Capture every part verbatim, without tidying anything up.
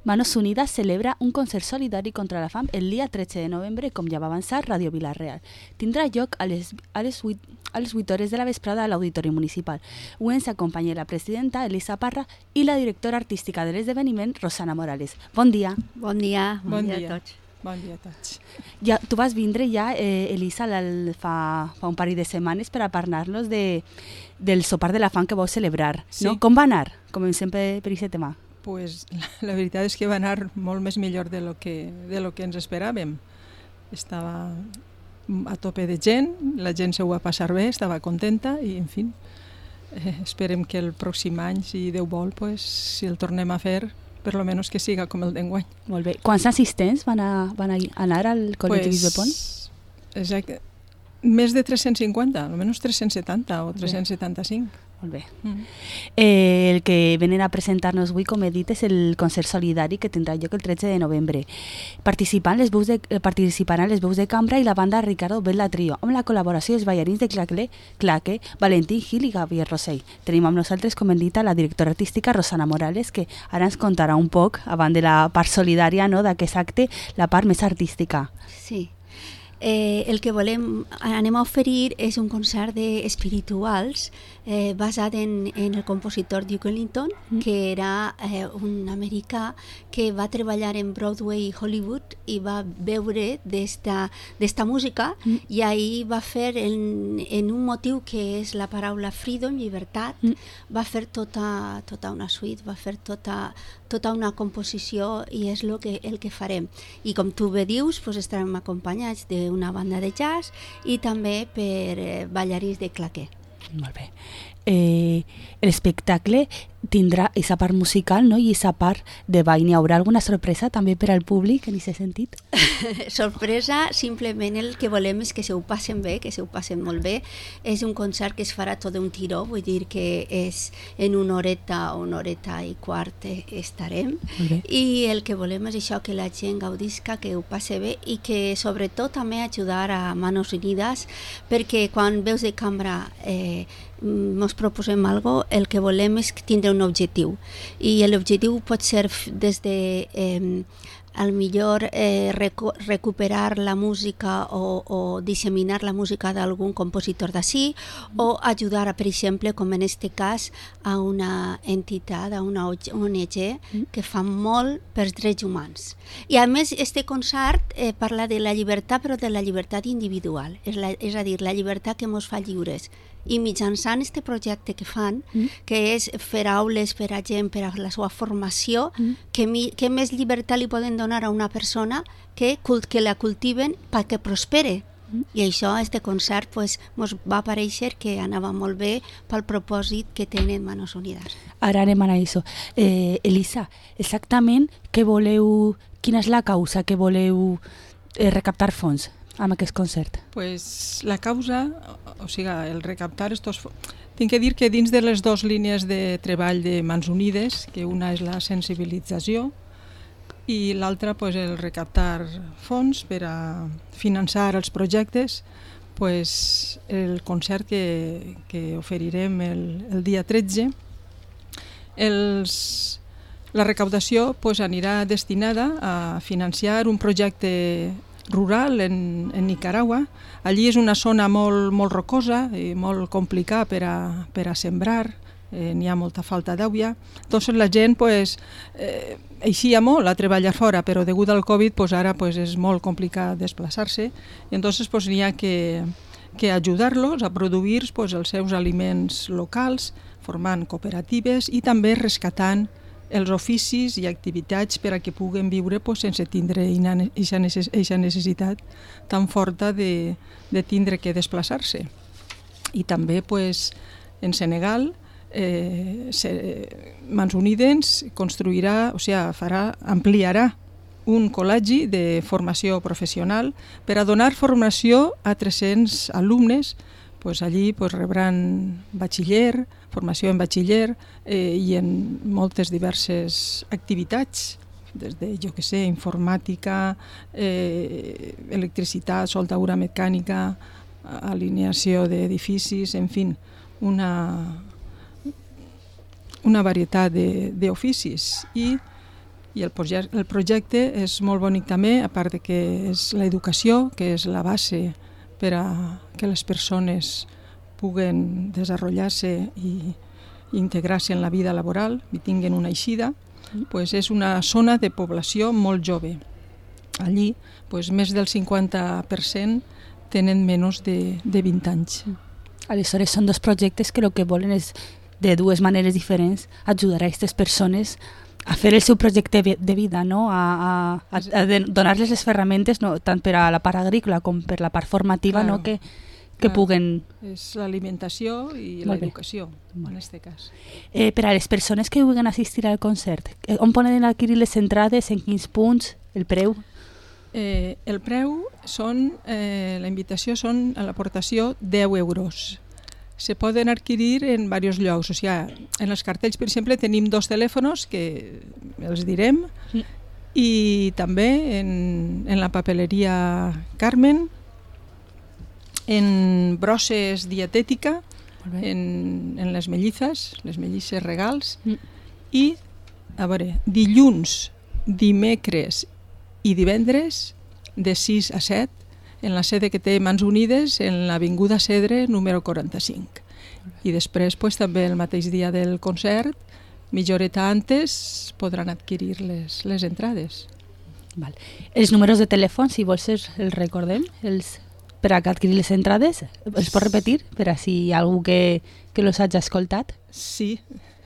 Manos Unidas celebra un concert solidari contra la fam el dia tretze de novembre, com ja va avançar Ràdio Vila-real. Tindrà lloc a les, a les, vuit, a les vuit hores de la vesprada a l'Auditori Municipal. Avui ens acompanya la presidenta Elisa Parra i la directora artística de l'esdeveniment, Rosana Morales. Bon dia. Bon dia, bon, bon dia, dia a tots. Bon dia a tots. Ja, tu vas vindre ja, eh, Elisa, fa, fa un parell de setmanes per a parlar-nos de, del sopar de la fam que vau celebrar. Sí. No? Com va anar? Comencem per, per aquest tema. Pues, la, la veritat és que va anar molt més millor de lo que, de lo que ens esperàvem. Estava a tope de gent, la gent se ho va passar bé, estava contenta i, en fi, eh, esperem que el pròxim any, si Déu vol, pues, si el tornem a fer, per lo menos que siga com el d'enguany. Molt bé. Quants assistents van, a, van a anar al Col·lectiu pues, Bisbe Pont? Exacte. Més de tres-cents cinquanta, almenys tres-cents setanta o tres-cents setanta-cinc. Molt bé. Mm. Eh, el que venen a presentar-nos avui, com he dit, és el concert solidari que tindrà lloc el tretze de novembre. Participaran les veus de, eh, participaran les veus de cambra i la banda Ricardo Bella Trio, amb la col·laboració dels ballarins de Claque, Claque, Valentín Gil i Javier Rossell. Tenim amb nosaltres, com hem dit, la directora artística Rosana Morales, que ara ens contarà un poc, abans de la part solidària, no, d'aquest acte, la part més artística. Sí. Eh, el que volem, anem a oferir és un concert d'espirituals eh, basat en, en el compositor Duke Ellington, mm. que era eh, un americà que va treballar en Broadway i Hollywood i va veure d'esta música mm. i ahir va fer en, en un motiu que és la paraula freedom, llibertat, mm. va fer tota, tota una suite, va fer tota, tota una composició i és lo que, el que farem. I com tu bé dius, pues estarem acompanyats d'una banda de jazz i també per eh, ballarins de claqué. Molt bé. Eh, l'espectacle tindrà aquesta part musical, no? I aquesta part de ball. N'hi haurà alguna sorpresa també per al públic en aquest sentit? Sorpresa, simplement el que volem és que se ho passen bé, que se ho passen molt bé. És un concert que es farà tot d'un tiró, vull dir que és en una horeta o una horeta i quart estarem. I el que volem és això, que la gent gaudisca, que ho passe bé i que sobretot també ajudar a Manos Unidas, perquè quan veus de cambra eh, ens proposem algo, el que volem és tindre un objectiu i l'objectiu pot ser des de eh, al millor eh, recu recuperar la música o, o disseminar la música d'algun compositor d'ací mm. o ajudar, per exemple, com en este cas, a una entitat, a una O N G mm. que fa molt pels drets humans. I a més, este concert eh, parla de la llibertat, però de la llibertat individual, és, la, és a dir, la llibertat que ens fa lliures. I mitjançant aquest projecte que fan, mm. que és fer aules per a gent, per a la seva formació, mm. que, mi, que més llibertat li poden donar a una persona que, que la cultiven perquè prospere. Mm. I això, este concert, pues, ens va aparèixer que anava molt bé pel propòsit que tenen Manos Unidas. Ara anem a això. Eh, Elisa, exactament què voleu, quina és la causa que voleu eh, recaptar fons amb aquest concert? Pues la causa, o sigui, el recaptar estos... Tinc que dir que dins de les dues línies de treball de Mans Unides, que una és la sensibilització i l'altra pues, el recaptar fons per a finançar els projectes, pues, el concert que, que oferirem el, el dia tretze, els... la recaptació pues, anirà destinada a financiar un projecte rural en, en Nicaragua. Allí és una zona molt, molt rocosa i molt complicada per a, per a sembrar, eh, n'hi ha molta falta d'aigua. Doncs la gent pues, eh, eixia molt a treballar fora, però degut al Covid pues, ara pues, és molt complicat desplaçar-se i entonces pues, n'hi ha que, que ajudar-los a produir pues, els seus aliments locals, formant cooperatives i també rescatant els oficis i activitats per a que puguen viure pues, sense tindre aquesta necessitat tan forta de, de tindre que desplaçar-se. I també pues, en Senegal eh, se, Mans Unides construirà, o sigui, farà, ampliarà un col·legi de formació professional per a donar formació a tres-cents alumnes. Pues allí pues, rebran batxiller, formació en batxiller eh, i en moltes diverses activitats, des de, jo què sé, informàtica, eh, electricitat, soldadura mecànica, alineació d'edificis, en fi, una, una varietat d'oficis. I I el, proje el projecte és molt bonic també, a part de que és l'educació, que és la base per a que les persones puguen desenvolupar-se i integrar-se en la vida laboral i tinguin una eixida, pues és una zona de població molt jove. Allí, pues, més del cinquanta per cent tenen menys de, de vint anys. Aleshores, són dos projectes que el que volen és, de dues maneres diferents, ajudar a aquestes persones a fer el seu projecte de vida, no? a, a, a donar-les les ferramentes, no? Tant per a la part agrícola com per la part formativa, claro, no? que, que claro, puguen... És l'alimentació i l'educació, en aquest cas. Eh, per a les persones que vulguin assistir al concert, on poden adquirir les entrades, en quins punts, el preu? Eh, el preu són, eh, la invitació són a l'aportació deu euros. Se poden adquirir en diversos llocs, o sigui, en els cartells, per exemple, tenim dos telèfons que els direm, sí, i també en, en la papeleria Carmen, en brosses dietètica, en, en les mellizes, les mellisses regals, mm, i, a veure, dilluns, dimecres i divendres, de sis a set, en la sede que té Mans Unides, en l'Avinguda Cedre, número quaranta-cinc. I després, pues, també el mateix dia del concert, mitja horeta antes, podran adquirir les, les entrades. Val. Els números de telèfon, si vols, els recordem, els, per a adquirir les entrades, els pots repetir, per a si hi ha algú que, que los hagi escoltat? Sí,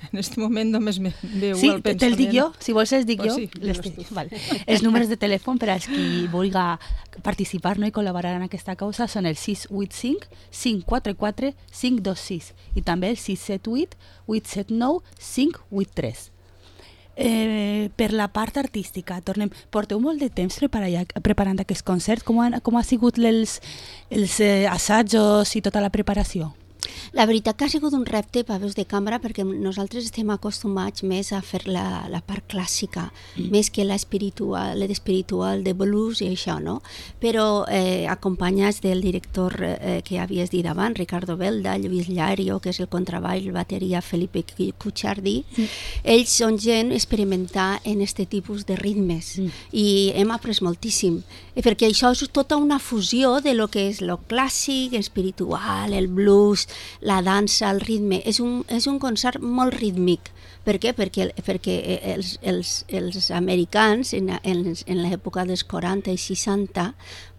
en aquest moment només me veu sí, el pensament. Sí, te'l dic jo, si vols els dic pues jo. Sí, les vale. Els números de telèfon per als qui vulgui participar, no, i col·laborar en aquesta causa són el sis vuit cinc, cinc quatre quatre, cinc dos sis i també el sis set vuit, vuit set nou, cinc vuit tres. Eh, per la part artística, tornem, porteu molt de temps preparant, preparant aquest concert, com, han, com ha sigut els, els eh, assajos i tota la preparació? La veritat que ha sigut un repte per veus de cambra perquè nosaltres estem acostumats més a fer la, la part clàssica, mm. més que l'espiritual, l'espiritual de blues i això, no? Però eh, acompanyats del director eh, que havies dit abans, Ricardo Belda, Lluís Llario, que és el contrabaix, el bateria Felipe Cuchardi, mm. ells són gent experimentar en aquest tipus de ritmes mm. i hem après moltíssim, perquè això és tota una fusió de lo que és lo clàssic, espiritual, el blues, la dansa, el ritme. És un, és un concert molt rítmic. Per què? Perquè, perquè els, els, els americans en, en, en l'època dels quaranta i seixanta,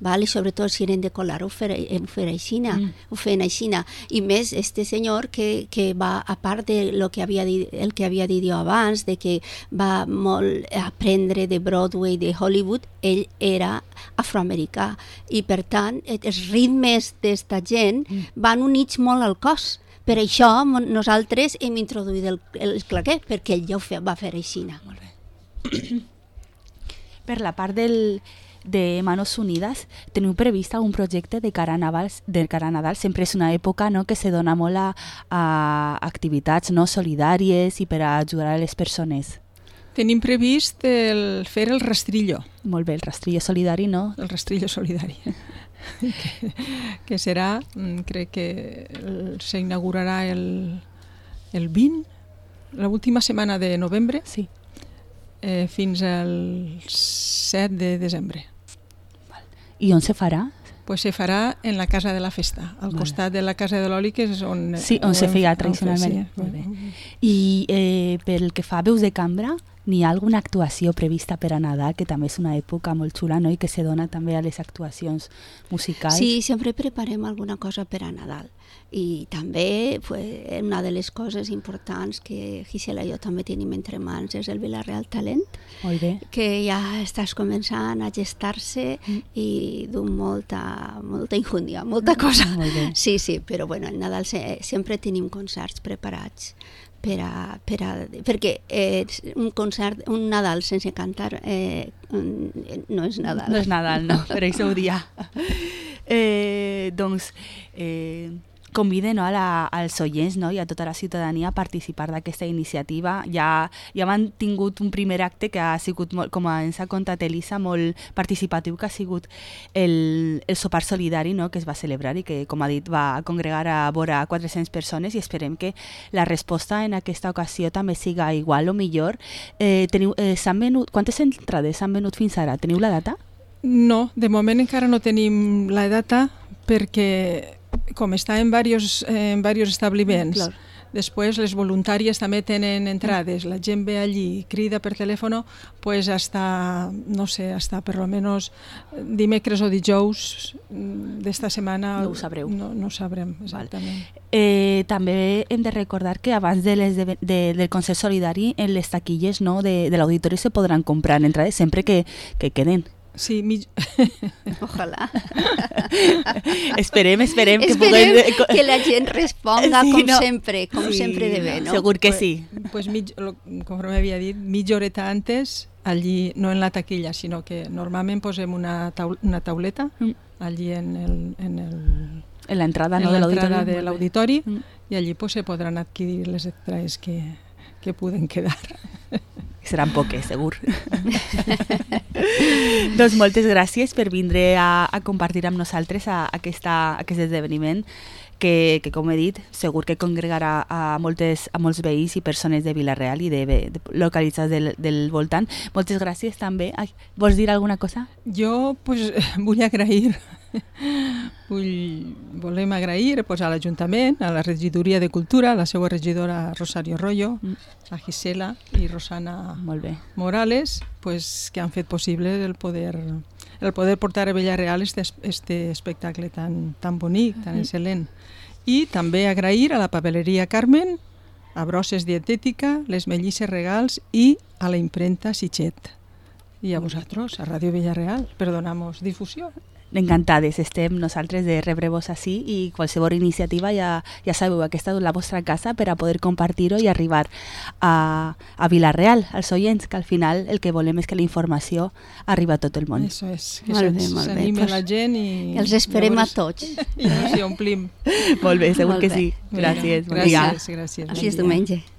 val? I sobretot si eren de colar, ho feien aixina, mm. ho feien aixina. I més, este senyor que, que va, a part de lo que havia dit, el que havia dit jo abans, de que va molt aprendre de Broadway, de Hollywood, ell era afroamericà. I per tant, els ritmes d'esta gent mm. van units molt al cos. Per això nosaltres hem introduït el, el claqué, perquè ell ja ho fe, va fer aixina. Molt bé. Per la part del, de Manos Unides, teniu previst algun projecte de cara a Nadal? De cara a Nadal sempre és una època, no, que se dona molt a, a activitats, no, solidàries i per a ajudar a les persones. Tenim previst el, fer el rastrillo. Molt bé, el rastrillo solidari, no? El rastrillo solidari. que, que serà, crec que s'inaugurarà el, el vint, l'última setmana de novembre, sí. eh, fins al set de desembre. Val. I on se farà? Pues se farà en la Casa de la Festa, al vale. Costat de la Casa de l'Oli, que és on... Sí, on, on se feia tradicionalment. Sí. Molt bé. I eh, pel que fa a veus de cambra, n'hi ha alguna actuació prevista per a Nadal, que també és una època molt xula, no? I que se dona també a les actuacions musicals? Sí, sempre preparem alguna cosa per a Nadal. I també pues, una de les coses importants que Gisela i jo també tenim entre mans és el Vila-real Talent, molt bé. Que ja estàs començant a gestar-se mm. i d'un molta, molta injúndia, molta cosa. Molt bé. Sí, sí, però bueno, al Nadal se, sempre tenim concerts preparats. Per a, per a, perquè eh, un concert, un Nadal sense cantar eh, no és Nadal. No és Nadal, no, per això ho dia. Eh, doncs, eh, convide, no, a la, als oients, no, i a tota la ciutadania a participar d'aquesta iniciativa. Ja, ja hem tingut un primer acte que ha sigut, molt, com ens ha contat Elisa, molt participatiu, que ha sigut el, el sopar solidari, no, que es va celebrar i que, com ha dit, va congregar a vora quatre-centes persones, i esperem que la resposta en aquesta ocasió també siga igual o millor. Eh, teniu, eh, s'han venut, quantes entrades s'han venut fins ara? Teniu la data? No, de moment encara no tenim la data perquè com està en diversos, en diversos establiments, Clar. després les voluntàries també tenen entrades, la gent ve allí, crida per telèfon, pues hasta, no sé, hasta per lo menos dimecres o dijous d'esta setmana. No ho sabreu. No, no ho sabrem, exactament. Eh, també hem de recordar que abans de les de, de, del Consell Solidari en les taquilles, no, de, de l'auditori se podran comprar entrades sempre que, que queden. Sí, mi... Ojalà. esperem, esperem, que Esperem puguem... que la gent responga Sí, com no. sempre, com Sí, sempre de bé, no? Segur que Pues, sí. pues mig, lo- conforme havia dit, mitja horeta antes, allí, no en la taquilla, sinó que normalment posem una, taul una tauleta Mm. allí en el, en el, En l'entrada, en no, de l'entrada l'auditori. de l'auditori Mm. i allí pues, se podran adquirir les extras que, que puden quedar. Seran poques, segur. Doncs moltes gràcies per vindre a, a compartir amb nosaltres a, a aquesta, aquest esdeveniment que, que, com he dit, segur que congregarà a, moltes, a molts veïns i persones de Vila-real i de, de localitzats del, del voltant. Moltes gràcies també. Ai, vols dir alguna cosa? Jo pues, vull agrair, vull, volem agrair pues, a l'Ajuntament, a la regidoria de Cultura, a la seva regidora Rosario Rollo, Mm. a Gisela i Rosana Molt bé. Morales, pues, que han fet possible el poder, el poder portar a Vila-real este, este espectacle tan, tan bonic, tan excel·lent. I també agrair a la papeleria Carmen, a Brosses Dietètica, les Mellisses Regals i a la impremta Sitxet. I a vosaltres, a Ràdio Vila-real, per donar-nos difusió. Encantades estem nosaltres de rebre-vos així i qualsevol iniciativa ja, ja sabeu, aquesta és la vostra casa per a poder compartir-ho i arribar a, a Vila-real, als oients, que al final el que volem és que la informació arriba a tot el món. Això és, que Molt bé, molt bé. s'anime Pues la gent i... Els esperem a llavors- tots. I ens hi omplim. Molt bé, segur Molt que bé. sí. Gràcies. bon dia. Gràcies, gràcies. Així és diumenge.